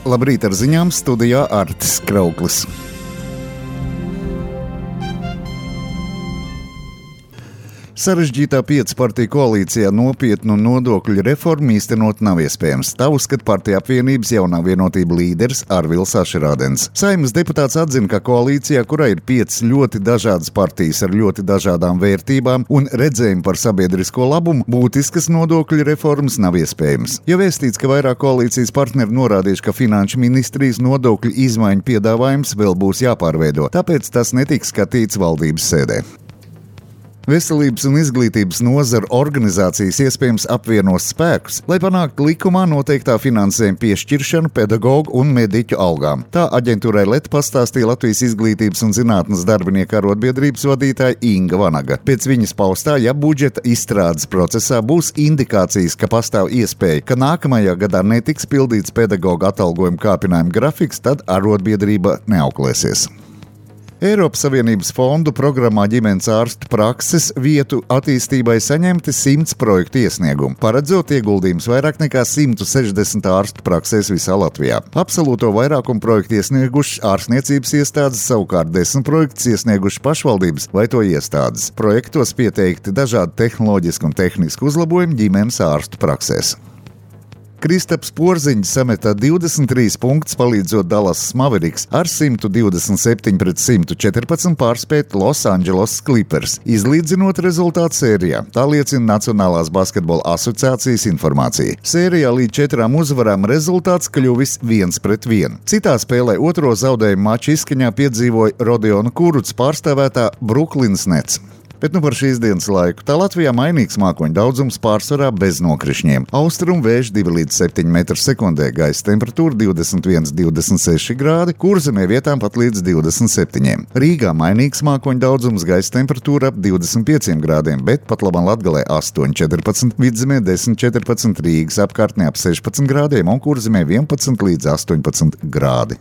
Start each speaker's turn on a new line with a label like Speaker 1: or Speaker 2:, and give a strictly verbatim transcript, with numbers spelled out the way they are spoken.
Speaker 1: Labrīt, ar ziņām studijā Artis Krauklis. Sarežģītā piecu partiju koalīcijā nopietnu nodokļu reformu īstenot nav iespējams. Tā uzskata Partiju apvienības jaunā vienotība līderis Arvils Ašerādens. Saeimas deputāts atzina, ka koalīcijā, kurā ir piecas ļoti dažādas partijas ar ļoti dažādām vērtībām un redzējumu par sabiedrisko labumu, būtiskas nodokļu reformas nav iespējams. Jau vēstīts, ka vairāk koalīcijas partneri norādījuši, ka Finanšu ministrijas nodokļu izmaiņu piedāvājums vēl būs jāpārveido, tāpēc tas netiks skatīts valdības sēdē. Veselības un izglītības nozara organizācijas iespējams apvienos spēkus, lai panāktu likumā noteiktā finansējuma piešķiršanu pedagogu un mediķu algām. Tā aģentūrai L E T pastāstīja Latvijas izglītības un zinātnes darbinieku arotbiedrības vadītāja Inga Vanaga. Pēc viņas paustā, ja budžeta izstrādes procesā būs indikācijas, ka pastāv iespēja, ka nākamajā gadā netiks pildīts pedagogu atalgojuma kāpinājuma grafiks, tad arotbiedrība neauklēsies. Eiropas Savienības fondu programmā ģimenes ārstu prakses vietu attīstībai saņemti simts projektu iesniegumu, paredzot ieguldījumus vairāk nekā simt sešdesmit ārstu praksēs visā Latvijā. Absolūto vairākumu projektu iesniegušas ārstniecības iestādes, savukārt desmit projektus iesniegušas pašvaldības vai to iestādes. Projektos pieteikti dažādi tehnoloģiski un tehniski uzlabojumi ģimenes ārstu praksēs. Kristaps Porziņš sameta divdesmit trīs punktus, palīdzot Dallas Mavericks ar simt divdesmit septiņi pret simt četrpadsmit pārspēt Los Angeles Clippers, izlīdzinot rezultātu sērijā. Tā liecina Nacionālās basketbola asociācijas informācija. Sērijā līdz četrām uzvarām rezultāts kļuvis viens pret vienu. Citā spēlē otro zaudējumu maču izskaņā piedzīvoja Rodiona Kurucs pārstāvētā Brooklyns Nets. Bet nu par šīs dienas laiku. Tā Latvijā mainīgs mākoņu daudzums, pārsvarā bez nokrišņiem. Austrumu vējš divi līdz septiņi metri sekundē, gaisa temperatūra divdesmit viens līdz divdesmit seši grādi, Kurzemē vietām pat līdz divdesmit septiņiem. Rīgā mainīgs mākoņu daudzums, gaisa temperatūra ap divdesmit pieciem grādiem, bet pat labam Latgalē astoņi četrpadsmit, Vidzemē desmit četrpadsmit, Rīgas apkārtnē ap sešpadsmit grādiem un Kurzemē vienpadsmit līdz astoņpadsmit grādi.